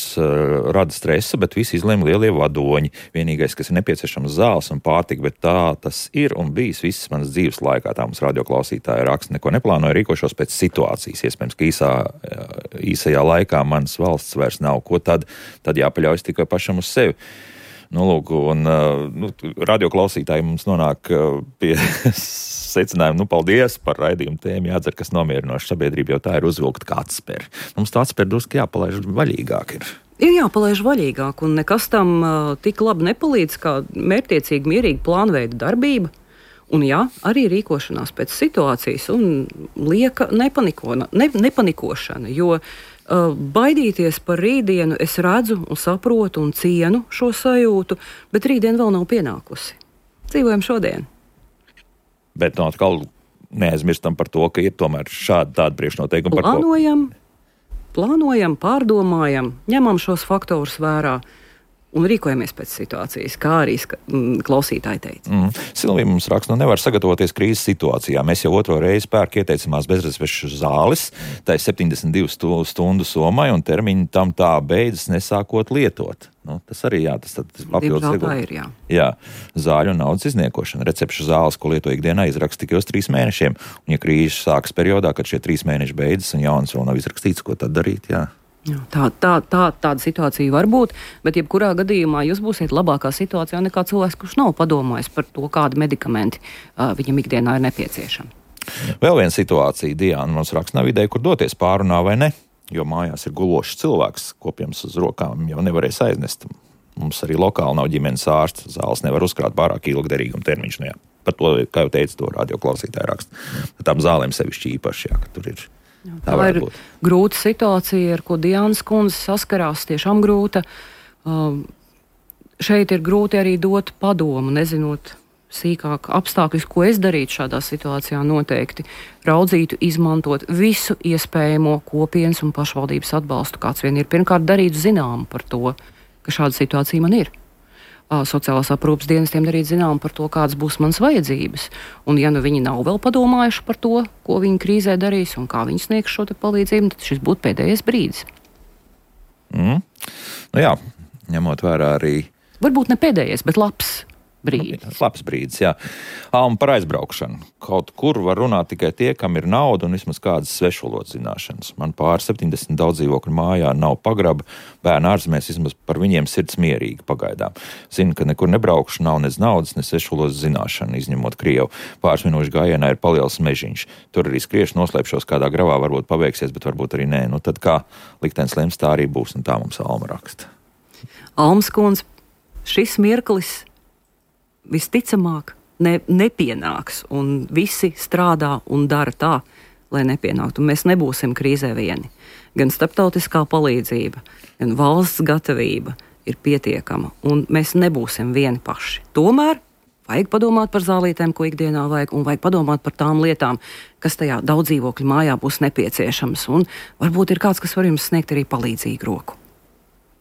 rada stresa, bet visi izlēma lielie vadoņi. Vienīgais, kas ir nepieciešams zāles un pārtika, bet tā tas ir un bijis visas manas dzīves laikā. Tā mums radioklausītāja raksta, neko neplānoju, rīkošos pēc situācijas. Iespējams, ka īsajā laikā manas valsts vairs nav. Ko tad? Tad jāpaļaujas tikai pašam uz sevi. Nu, lūk, un radioklausītāji mums nonāk pie secinājuma, paldies par raidījumu tēmu, jādzer, kas nomierinoši sabiedrība, jo tā ir uzvilkta kā atspēr. Mums tā atspēr drusku jāpalaiž vaļīgāk ir. Ir jāpalaiž vaļīgāk, un nekas tam tik labi nepalīdz, kā mērķtiecīgi, mierīgi plānveida darbība. Un jā, arī rīkošanās pēc situācijas un lieka nepanikošana, jo baidīties par rītdienu es redzu un saprotu un cienu šo sajūtu, bet rītdiena vēl nav pienākusi. Dzīvojam šodien. Bet atkal neaizmirstam par to, ka ir tomēr šādi tādi priekšnoteikumi. Plānojam, pārdomājam, ņemam šos faktorus vērā un rīkojamies pēc situācijas, kā arī klausītāji teica. Silvija mums raksta, nevar sagatavoties krīzes situācijā. Mēs jau otro reizi pērk ieteicamās bezrezerves zāles, tā ir 72 stundu sommai, un termiņi tam tā beidzas nesākot lietot. Tas arī tas papildus ir, jā. Jā, zāļu un naudas izniekošana. Recepšu zāles, ko lieto ikdienā, izraksta tikai uz 3 mēnešiem. Un ja krīze sākas periodā, kad šie 3 mēneši beidzas un jauns vēl nav izrakstīts, ko tad darīt, jā. Tāda situācija var būt, bet jebkurā gadījumā jūs būsiet labākā situācijā nekā cilvēks, kurš nav padomājis par to, kādi medikamenti viņam ikdienā ir nepieciešami. Vēl viena situācija, Diana mums raksta, nav ideja, kur doties, pārunā vai ne, jo mājās ir gulošs cilvēks, kopjams uz rokām jau nevarēs aiznest. Mums arī lokāli nav ģimenes ārsts, zāles nevar uzkrāt pārāk ilgderīguma termiņš. Nu, jā. Par to, kā jau teicu, to radioklausītāji raksta. Tām zālēm sevišķi īpaši, jā, ka tur ir. Tā ir grūta situācija, ar ko Diānas kundze saskarās, tiešām grūta. Šeit ir grūti arī dot padomu, nezinot sīkāk apstākļus, ko es darītu šādā situācijā noteikti. Raudzītu, izmantot visu iespējamo kopienas un pašvaldības atbalstu, kāds vien ir. Pirmkārt, darītu zināmu par to, ka šāda situācija man ir. Sociālās aprūpes dienestiem darīt zinām par to, kādas būs manas vajadzības. Un ja nu viņi nav vēl padomājuši par to, ko viņi krīzē darīs un kā viņi sniegs šo palīdzību, tad šis būtu pēdējais brīdis. Nu jā, ņemot vērā arī... Varbūt ne pēdējais, bet labs brīdis. Labs brīdis, jā. Un par aizbraukšanu. Kaut kur var runāt tikai tie, kam ir nauda un vismaz kādas svešvalodas zināšanas. Man pār 70 daudz dzīvokļu mājā nav pagraba, bērni ārzemēs vismaz par viņiem sirds mierīgi pagaidām. Zinu, ka nekur nebraukšu, nav nec naudas, ne svešvalodas zināšana, izņemot Krievu. Pāris minūšu gājienā ir paliels mežiņš. Tur arī skriešu, noslēpšos kādā gravā, varbūt paveiksies, bet varbūt arī nē. Nu tad kā liktenis lems, tā arī būs, un tā mums Alma raksta. Almas kundze, šis mirklis visticamāk nepienāks, un visi strādā un dara tā, lai nepienāktu. Mēs nebūsim krīzē vieni. Gan starptautiskā palīdzība, gan valsts gatavība ir pietiekama, un mēs nebūsim vieni paši. Tomēr vajag padomāt par zālītēm, ko ikdienā vajag, un vajag padomāt par tām lietām, kas tajā daudz dzīvokļu mājā būs nepieciešams, un varbūt ir kāds, kas var jums sniegt arī palīdzīgu roku.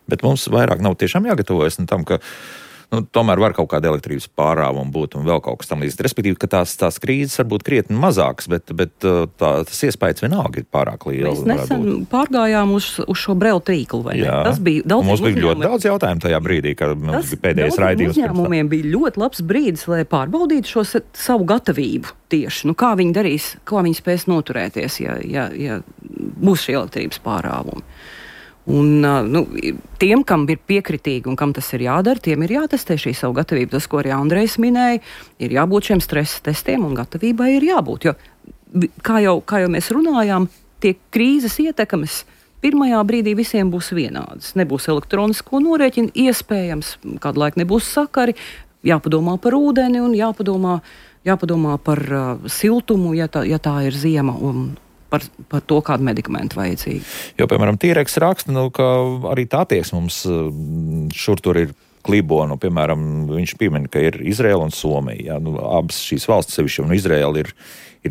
Bet mums vairāk nav tiešām jāgatavojas tam, ka tomēr var kaut kāda elektrības pārāvuma būt un vēl kaut kas tam līdz. Respektīvi, ka tās krīzes var būt krietni mazākas, bet tas iespējas vienalga ir pārāk liels. Mēs nesen pārgājām uz šo brelu tīklu, vai ne? Tas bija daudz. Mums bija ļoti daudz jautājumu tajā brīdī, kad mums bija pēdējais raidījums. Uzņēmumiem bija ļoti labs brīdis, lai pārbaudītu šo savu gatavību tieši. Kā viņi darīs, kā viņi spēs noturēties, ja būs šī elektrības pārāvuma. Un tiem, kam ir piekritīgi un kam tas ir jādara, tiem ir jātestē šī savu gatavību. Tas, ko arī Andrejs minēja, ir jābūt šiem stresa testiem un gatavībai ir jābūt. Jo, kā jau mēs runājām, tie krīzes ietekmes pirmajā brīdī visiem būs vienādas. Nebūs elektronisko norēķinu, iespējams, kādu laiku nebūs sakari, jāpadomā par ūdeni un jāpadomā par siltumu, ja tā ir ziema un par to, kādu medikamentu vajadzīgi. Jo, piemēram, Tīreks raksta, ka arī tā attieksme mums šur tur ir klibo. Piemēram, viņš piemin, ka ir Izraela un Somija. Abas šīs valstis sevišķi un Izraela ir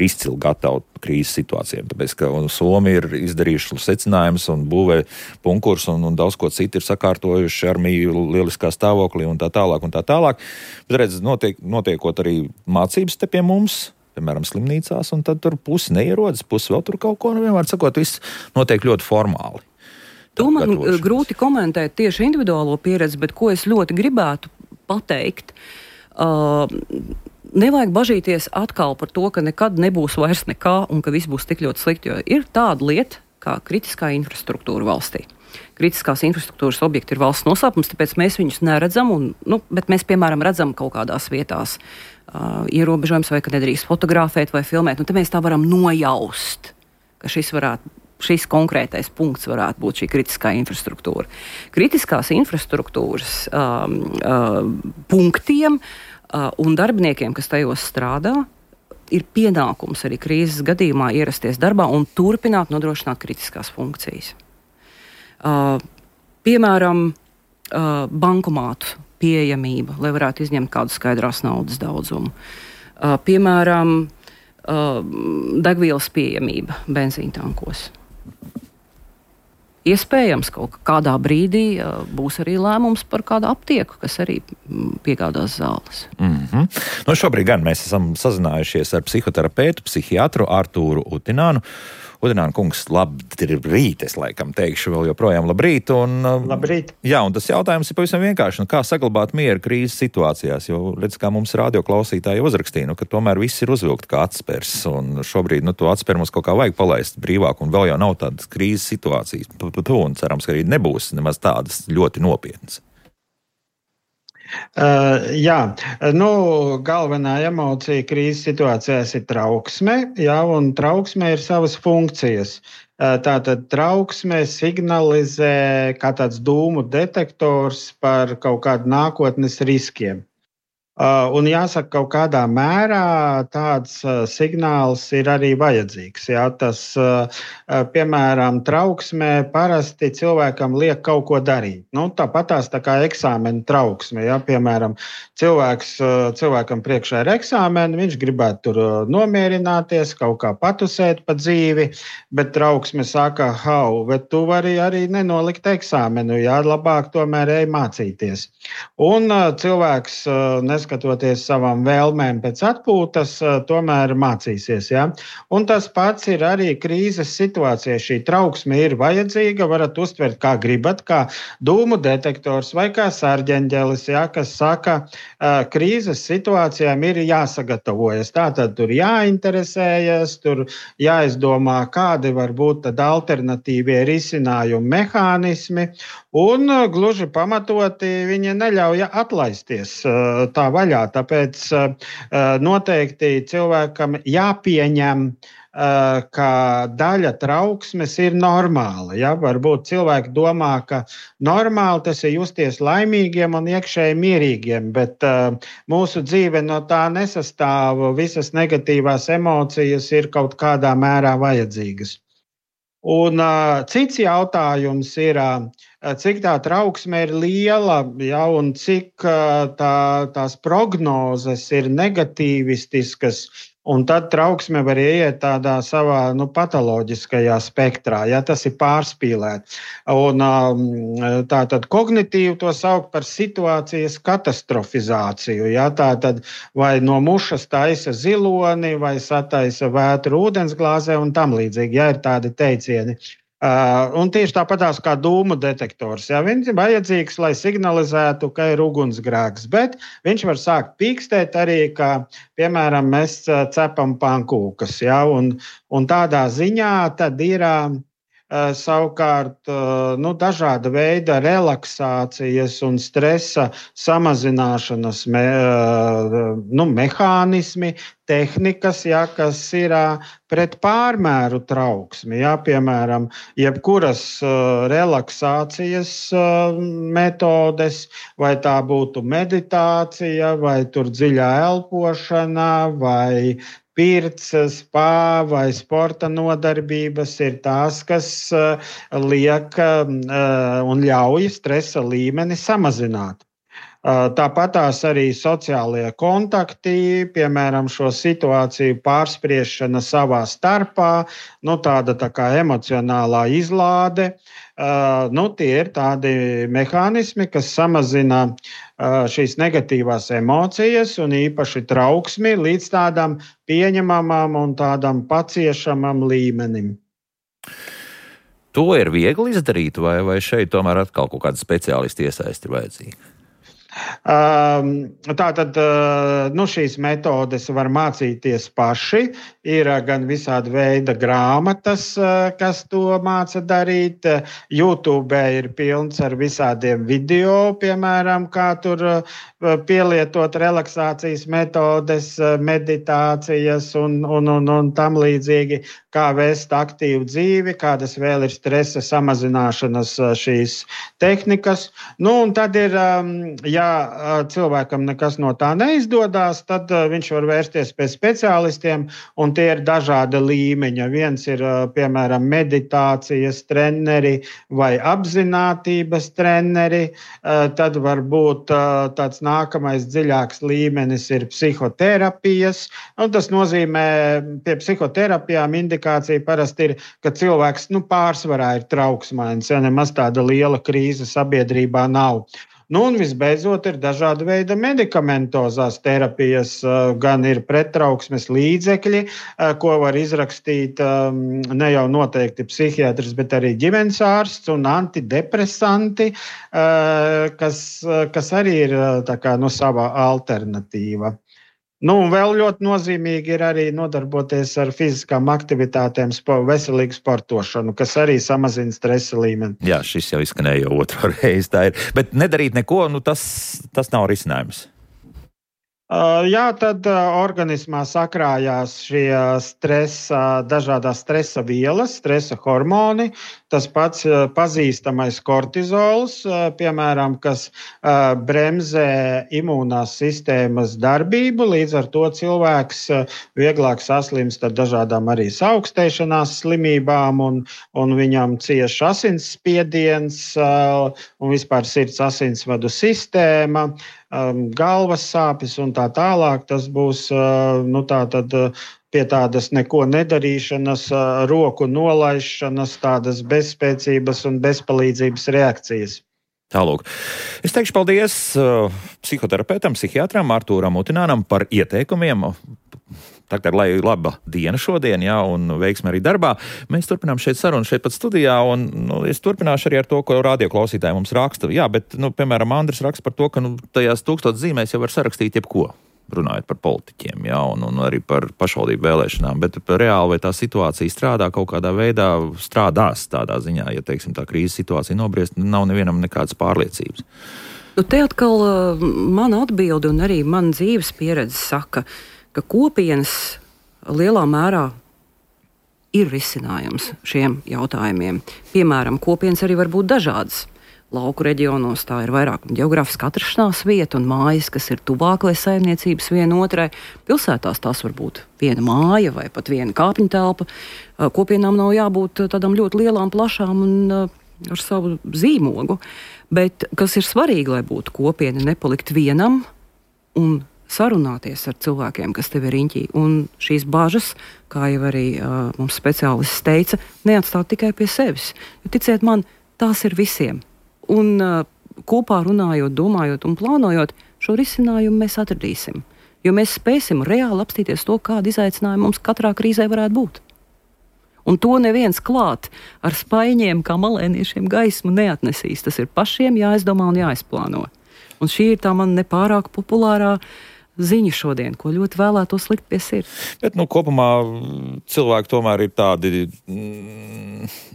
izcili gatava krīzes situācijām. Tāpēc, ka Somija ir izdarījuši secinājumus un būvē punkurs un daudz ko citu ir sakārtojuši armiju lieliskā stāvoklī un tā tālāk. Bet redz, notiekot arī mācības te pie mums, piemēram, slimnīcās, un tad tur pusi neierodas, pusi vēl tur kaut ko, vienmēr sakot, viss notiek ļoti formāli. To man grūti komentēt tieši individuālo pieredzi, bet ko es ļoti gribētu pateikt, nevajag bažīties atkal par to, ka nekad nebūs vairs nekā un ka viss būs tik ļoti slikti, jo ir tāda lieta kā kritiskā infrastruktūra valstī. Kritiskās infrastruktūras objekti ir valsts noslēpums, tāpēc mēs viņus neredzam, bet mēs, piemēram, redzam kaut kādās vietās ierobežojums vai ka nedrīkst fotografēt vai filmēt. Te mēs tā varam nojaust, ka šis konkrētais punkts varētu būt šī kritiskā infrastruktūra. Kritiskās infrastruktūras punktiem un darbiniekiem, kas tajos strādā, ir pienākums arī krīzes gadījumā ierasties darbā un turpināt nodrošināt kritiskās funkcijas. Piemēram, bankomātu pieejamība, lai varētu izņemt kādu skaidrās naudas daudzumu. Piemēram, degvielas pieejamība benzīntankos. Iespējams, kaut kādā brīdī būs arī lēmums par kādu aptieku, kas arī piegādās zāles. Šobrīd gan mēs esam sazinājušies ar psihoterapeitu, psihiatru Artūru Utinānu. Udināna kungs, labrīt, es laikam teikšu vēl joprojām labrīt. Labrīt. Jā, un tas jautājums ir pavisam vienkārši. Kā saglabāt mieru krīzes situācijās? Jo, redz, kā mums radioklausītāji uzrakstīja, ka tomēr viss ir uzvilkt kā atspers. Un šobrīd to atspēru mums kaut kā vajag palaist brīvāk, un vēl jau nav tādas krīzes situācijas. Un cerams, ka arī nebūs nemaz tādas ļoti nopietnas. Galvenā emocija krīzes situācijās ir trauksme, un trauksme ir savas funkcijas. Tātad trauksme signalizē kā tāds dūmu detektors par kaut kādu nākotnes riskiem. Un jāsaka, kaut kādā mērā tāds signāls ir arī vajadzīgs. Tas, piemēram, trauksmē parasti cilvēkam liek kaut ko darīt. Tāpatās tā kā eksāmena trauksme. Piemēram, cilvēkam priekšā ir eksāmeni, viņš gribētu tur nomierināties, kaut kā patusēt pa dzīvi, bet trauksme saka, bet tu vari arī nenolikt eksāmenu, labāk tomēr ej mācīties. Un cilvēks, neskatoties savām vēlmēm pēc atpūtas, tomēr mācīsies. Un tas pats ir arī krīzes situācijā. Šī trauksme ir vajadzīga, varat uztvert kā gribat, kā dūmu detektors vai kā sarģeņģelis, kas saka, krīzes situācijām ir jāsagatavojas. Tātad tur jāinteresējas, tur jāizdomā, kādi var būt tad alternatīvie risinājumi mehānismi, un gluži pamatoti viņi neļauj atlaisties tā vaļā. Tāpēc noteikti cilvēkam jāpieņem, ka daļa trauksmes ir normāla. Varbūt cilvēki domā, ka normāli tas ir justies laimīgiem un iekšēji mierīgiem, bet mūsu dzīve no tā nesastāv. Visas negatīvās emocijas ir kaut kādā mērā vajadzīgas. Un cits jautājums ir, cik tā trauksme ir liela, un cik tās prognozes ir negatīvistiskas, un tad trauksme var ieiet tādā savā patoloģiskajā spektrā, tas ir pārspīlēt. Un tātad kognitīvi to sauc par situācijas katastrofizāciju. Tātad vai no mušas taisa ziloni, vai sataisa vētru ūdensglāzē un tam līdzīgi, ir tādi teicieni. Un tieši tāpatās kā dūmu detektors. Viņš ir vajadzīgs, lai signalizētu, ka ir ugunsgrēks, bet viņš var sākt pīkstēt arī, ka, piemēram, mēs cepam pankūkas. Un tādā ziņā tad ir savukārt dažāda veida relaksācijas un stresa samazināšanas mehānismi, tehnikas, kas ir pret pārmēru trauksmi. Piemēram, jebkuras relaksācijas metodes, vai tā būtu meditācija, vai tur dziļā elpošana, vai pirts, spā vai sporta nodarbības ir tās, kas liek un ļauj stresa līmeni samazināt. Tāpatās arī sociālie kontakti, piemēram, šo situāciju pārspriešana savā starpā, tāda tā kā emocionālā izlāde. Tie ir tādi mehānismi, kas samazina šīs negatīvās emocijas un īpaši trauksmi līdz tādam pieņemamam un tādam paciešamam līmenim. To ir viegli izdarīt, vai šeit tomēr atkal kaut kāda speciālista iesaisti ir vajadzīga? Tātad šīs metodes var mācīties paši. Ir gan visādi veida grāmatas, kas to māca darīt. YouTube ir pilns ar visādiem video, piemēram, kā tur pielietot relaksācijas metodes, meditācijas un tam līdzīgi, kā vēst aktīvu dzīvi, kādas vēl ir stresa samazināšanas šīs tehnikas. Un tad ir, cilvēkam nekas no tā neizdodas, tad viņš var vērsties pie speciālistiem, un tie ir dažāda līmeņa. Viens ir, piemēram, meditācijas treneri vai apzinātības treneri, tad var būt tāds nākamais dziļāks līmenis ir psihoterapijas, un tas nozīmē, pie psihoterapijām indikācija parasti ir, ka cilvēks pārsvarā ir trauksmains, ja nemaz tāda liela krīze sabiedrībā nav. Un visbeidzot ir dažāda veida medikamentozās terapijas, gan ir prettrauksmes līdzekļi, ko var izrakstīt ne jau noteikti psihiatrs, bet arī ģimenes ārsts un antidepresanti, kas arī ir tā kā sava alternatīva. Un vēl ļoti nozīmīgi ir arī nodarboties ar fiziskām aktivitātēm, veselīgu sportošanu, kas arī samazina stresa līmeni. Jā, šis jau izskanēja jau otro reizi, tā ir. Bet nedarīt neko, tas nav risinājums. Jā, tad organismā sakrājās šie dažādās stresa vielas, stresa hormoni. Tas pats pazīstamais kortizols, piemēram, kas bremzē imūnās sistēmas darbību. Līdz ar to cilvēks vieglāk saslimst ar dažādām arī saaugstēšanās slimībām, un viņam cieš asinsspiediens un vispār sirds asinsvadu sistēma, galvas sāpes un tā tālāk. Tas būs pie tādas neko nedarīšanas, roku nolaišanas, tādas bezspēcības un bezpalīdzības reakcijas. Tālūk. Es teikšu paldies psihoterapeitam, psihiatram Artūram Utinānam par ieteikumiem. Tagad, lai laba diena šodien, jā, un veiksme arī darbā. Mēs turpinām šeit sarunu šeit pat studijā, un es turpināšu arī ar to, ko radioklausītāji mums raksta. Jā, bet, piemēram, Andris raksta par to, ka tajās 1000 zīmēs jau var sarakstīt jebko, runājot par politiķiem, jā, un arī par pašvaldību vēlēšanām. Bet reāli vai tā situācija strādā kaut kādā veidā, strādās tādā ziņā, ja, teiksim, tā krīzes situācija nobriest, nav nevienam nekādas pārliecības. Te atkal mana atbilde un arī mana dzīves pieredze saka, ka kopienas lielā mērā ir risinājums šiem jautājumiem. Piemēram, kopienas arī var būt dažādas. Lauku reģionos tā ir vairāk geogrāfiska atrašanās vieta un mājas, kas ir tuvāk vai saimniecības viena otrai. Pilsētās tās var būt viena māja vai pat viena kāpņu telpa. Kopienām nav jābūt tādām ļoti lielām, plašām un ar savu zīmogu. Bet kas ir svarīgi, lai būtu kopiena, nepalikt vienam un sarunāties ar cilvēkiem, kas tev ir riņķī. Un šīs bažas, kā jau arī mums speciālists teica, neatstāt tikai pie sevis. Jo ticiet man, tās ir visiem. Un kopā runājot, domājot un plānojot, šo risinājumu mēs atradīsim. Jo mēs spēsim reāli apstīties to, kāda izaicinājuma mums katrā krīzē varētu būt. Un to neviens klāt ar spaiņiem, kā malēniešiem gaismu neatnesīs. Tas ir pašiem jāizdomā un jāizplāno. Un šī ir tā man nepārāk populārā ziņa šodien, ko ļoti vēlētos likt pie sirds. Bet, kopumā cilvēki tomēr ir tādi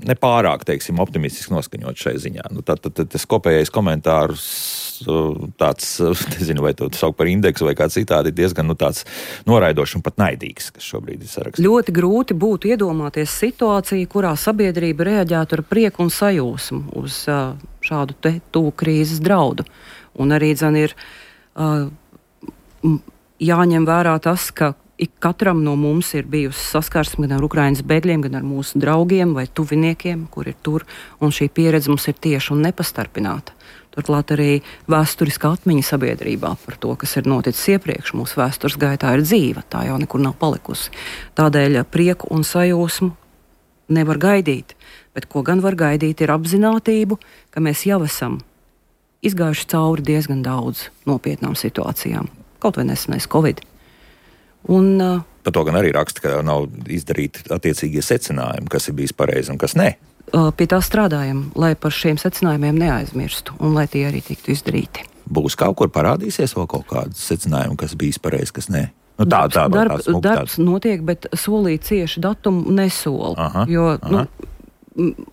nepārāk, teiksim, optimistiski noskaņot šai ziņā. Tas kopējais komentārs tāds, nezinu, vai to sauc par indeksu vai kā citādi, diezgan tāds noraidošs un pat naidīgs, kas šobrīd ir sarakstīts. Ļoti grūti būtu iedomāties situāciju, kurā sabiedrība reaģētu ar prieku un sajūsmu uz šādu tuvu krīzes draudu. Un arī, ir jāņem vērā tas, ka katram no mums ir bijusi saskarsme gan ar Ukrainas bēgļiem, gan ar mūsu draugiem vai tuviniekiem, kur ir tur, un šī pieredze mums ir tieši un nepastarpināta. Turklāt arī vēsturiskā atmiņa sabiedrībā par to, kas ir noticis iepriekš mūsu vēstures gaitā, ir dzīva, tā jau nekur nav palikusi. Tādēļ prieku un sajūsmu nevar gaidīt, bet ko gan var gaidīt, ir apzinātību, ka mēs jau esam izgājuši cauri diezgan daudz nopietnām situācijām, kaut vai nesenais Covid. Un, par to gan arī raksta, ka nav izdarīti attiecīgie secinājumi, kas ir bijis pareizi un kas ne. Pie tā strādājam, lai par šiem secinājumiem neaizmirstu un lai tie arī tiktu izdarīti. Būs kaut kur parādīsies vēl kaut kāds secinājumi, kas bijis pareizi, kas ne? Nu, Darbs notiek, bet solīt cieši datumu nesola. Jo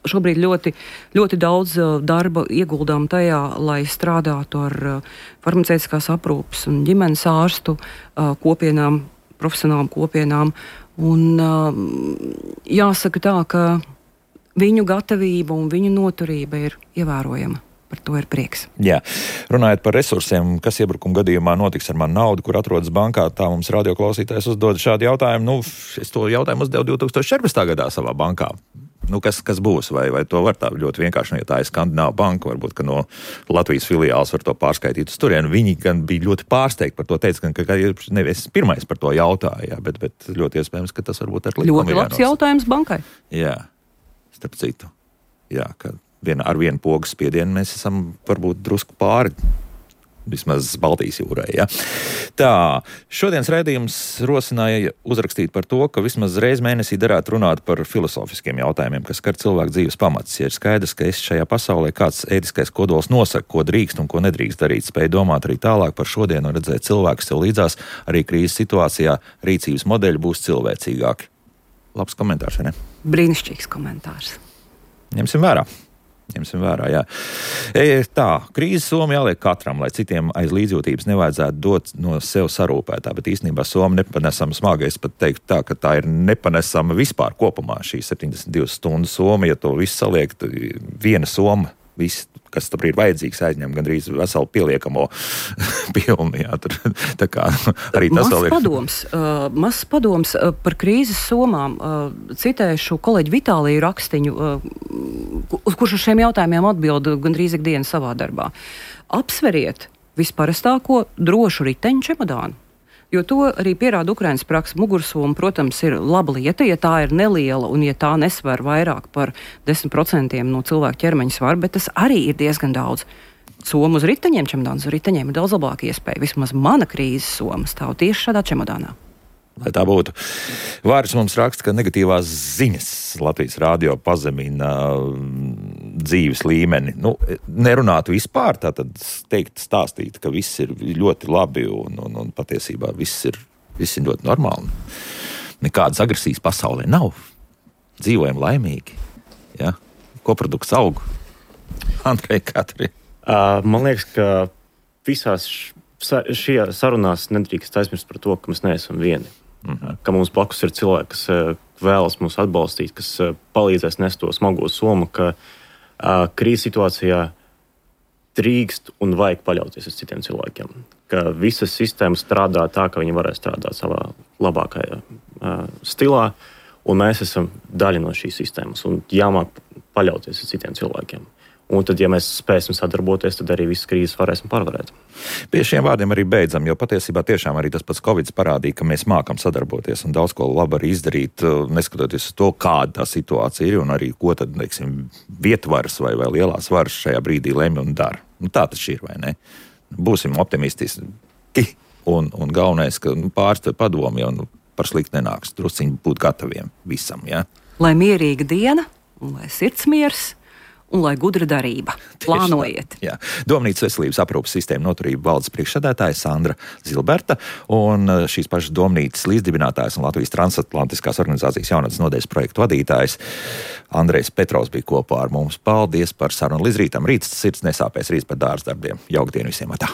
šobrīd ļoti, ļoti daudz darba ieguldām tajā, lai strādātu ar farmaceitiskās aprūpes un ģimenes ārstu kopienām, profesionālām kopienām. Un jāsaka tā, ka viņu gatavība un viņu noturība ir ievērojama. Par to ir prieks. Jā. Runājot par resursiem, kas iebrukuma gadījumā notiks ar manu naudu, kur atrodas bankā, tā mums radioklausītājs uzdod šādu jautājumu. Es to jautājumu uzdevu 2014. gadā savā bankā. Kas būs? Vai to var tā ļoti vienkārši, ja tā ir Skandināva banka, varbūt, ka no Latvijas filiāls var to pārskaitīt uz turienu. Viņi gan bija ļoti pārsteigti par to, teica, ka nevis pirmais par to jautāja, bet ļoti iespējams, ka tas varbūt ar likumu. Ļoti labs jautājums bankai. Jā, starp citu. Jā, ka ar vienu pogas spiedienu mēs esam varbūt drusku pāri, vismaz Baltijas jūrai. Ja? Tā, šodienas raidījums rosināja uzrakstīt par to, ka vismaz reiz mēnesī derētu runāt par filosofiskiem jautājumiem, kas skar cilvēku dzīves pamats. Ja ir skaidrs, ka šajā pasaulē kāds ētiskais kodols nosaka, ko drīkst un ko nedrīkst darīt, spēj domāt arī tālāk par šodienu un redzēt cilvēkus sev līdzās, arī krīzes situācijā rīcības modeļi būs cilvēcīgāki. Labs komentārs, vai ne? Brīnišķīgs komentārs. Ņemsim vērā, jā. Tā, krīzes soma jāliek katram, lai citiem aiz līdzjūtības nevajadzētu dot no sev sarūpētā, bet īstenībā soma nepanesama smaga. Es pat teiktu tā, ka tā ir nepanesama vispār kopumā šī 72 stundu soma, ja to visu saliek, viena soma, viss, kas tur ir vajadzīgs, aizņem gandrīz veselu pieliekamo pilnu. Jā, tā kā arī tas vēl ir. Mazs padoms par krīzes somām. Citēšu kolēģi Vitāliju Rakstiņu, kurš uz šiem jautājumiem atbild gandrīz ikdienas savā darbā. Apsveriet visparastāko drošu riteņu čemodānu. Jo to arī pierāda Ukrainas praksa. Mugursoma, protams, ir laba lieta, ja tā ir neliela un ja tā nesver vairāk par 10% no cilvēka ķermeņa svara, bet tas arī ir diezgan daudz. Soma uz riteņiem, čemodāns uz riteņiem ir daudz labāka iespēja. Vismaz mana krīzes soma stāv tieši šādā čemodānā. Lai tā būtu. Vāris mums raksta, ka negatīvās ziņas Latvijas radio pazemina dzīves līmeni. Nerunātu vispār, tātad stāstīt, ka viss ir ļoti labi un patiesībā viss ir ļoti normāli. Nekādas agresijas pasaulē nav. Dzīvojam laimīgi. Ja? Koprodukts aug. Andrej, kā tur ir? Man liekas, ka visās šajā sarunās nedrīkst aizmirst par to, ka mēs neesam vieni. Ka mums blakus ir cilvēki, kas vēlas mūs atbalstīt, kas palīdzēs nest to smago somu, ka krīzes situācijā drīkst un vajag paļauties uz citiem cilvēkiem. Ka visas sistēmas strādā tā, ka viņi varēs strādāt savā labākajā stilā, un mēs esam daļa no šīs sistēmas, un jāmāk paļauties uz citiem cilvēkiem. Un tad, ja mēs spēsim sadarboties, tad arī visas krīzes varēsim pārvarēt. Pie šiem vārdiem arī beidzam, jo patiesībā tiešām arī tas pats Covid parādīja, ka mēs mākam sadarboties un daudz ko labi arī izdarīt, neskatoties uz to, kāda tā situācija ir un arī ko tad, vietvaras vai lielās varas šajā brīdī lemj un dara. Tā tas ir, vai ne? Būsim optimistiski un galvenais, ka pārstāv padomi un par slikti nenāks. Drusciņi būt gataviem visam, ja? Lai mierīga diena un lai sirds miers. Un lai gudra darība. Plānojiet. Jā. Domnīcas veselības aprūpes sistēma noturība valdes priekšsēdētāja Sandra Zilberta un šīs pašas domnīcas līdzdibinātājs un Latvijas transatlantiskās organizācijas jaunatnes nodaļas projektu vadītājs Andrejs Petrovs bija kopā ar mums. Paldies par sarunu līdz rītam. Rīts sirds nesāpēs, rīts par dārza darbiem. Jauka dienu visiem. Atā.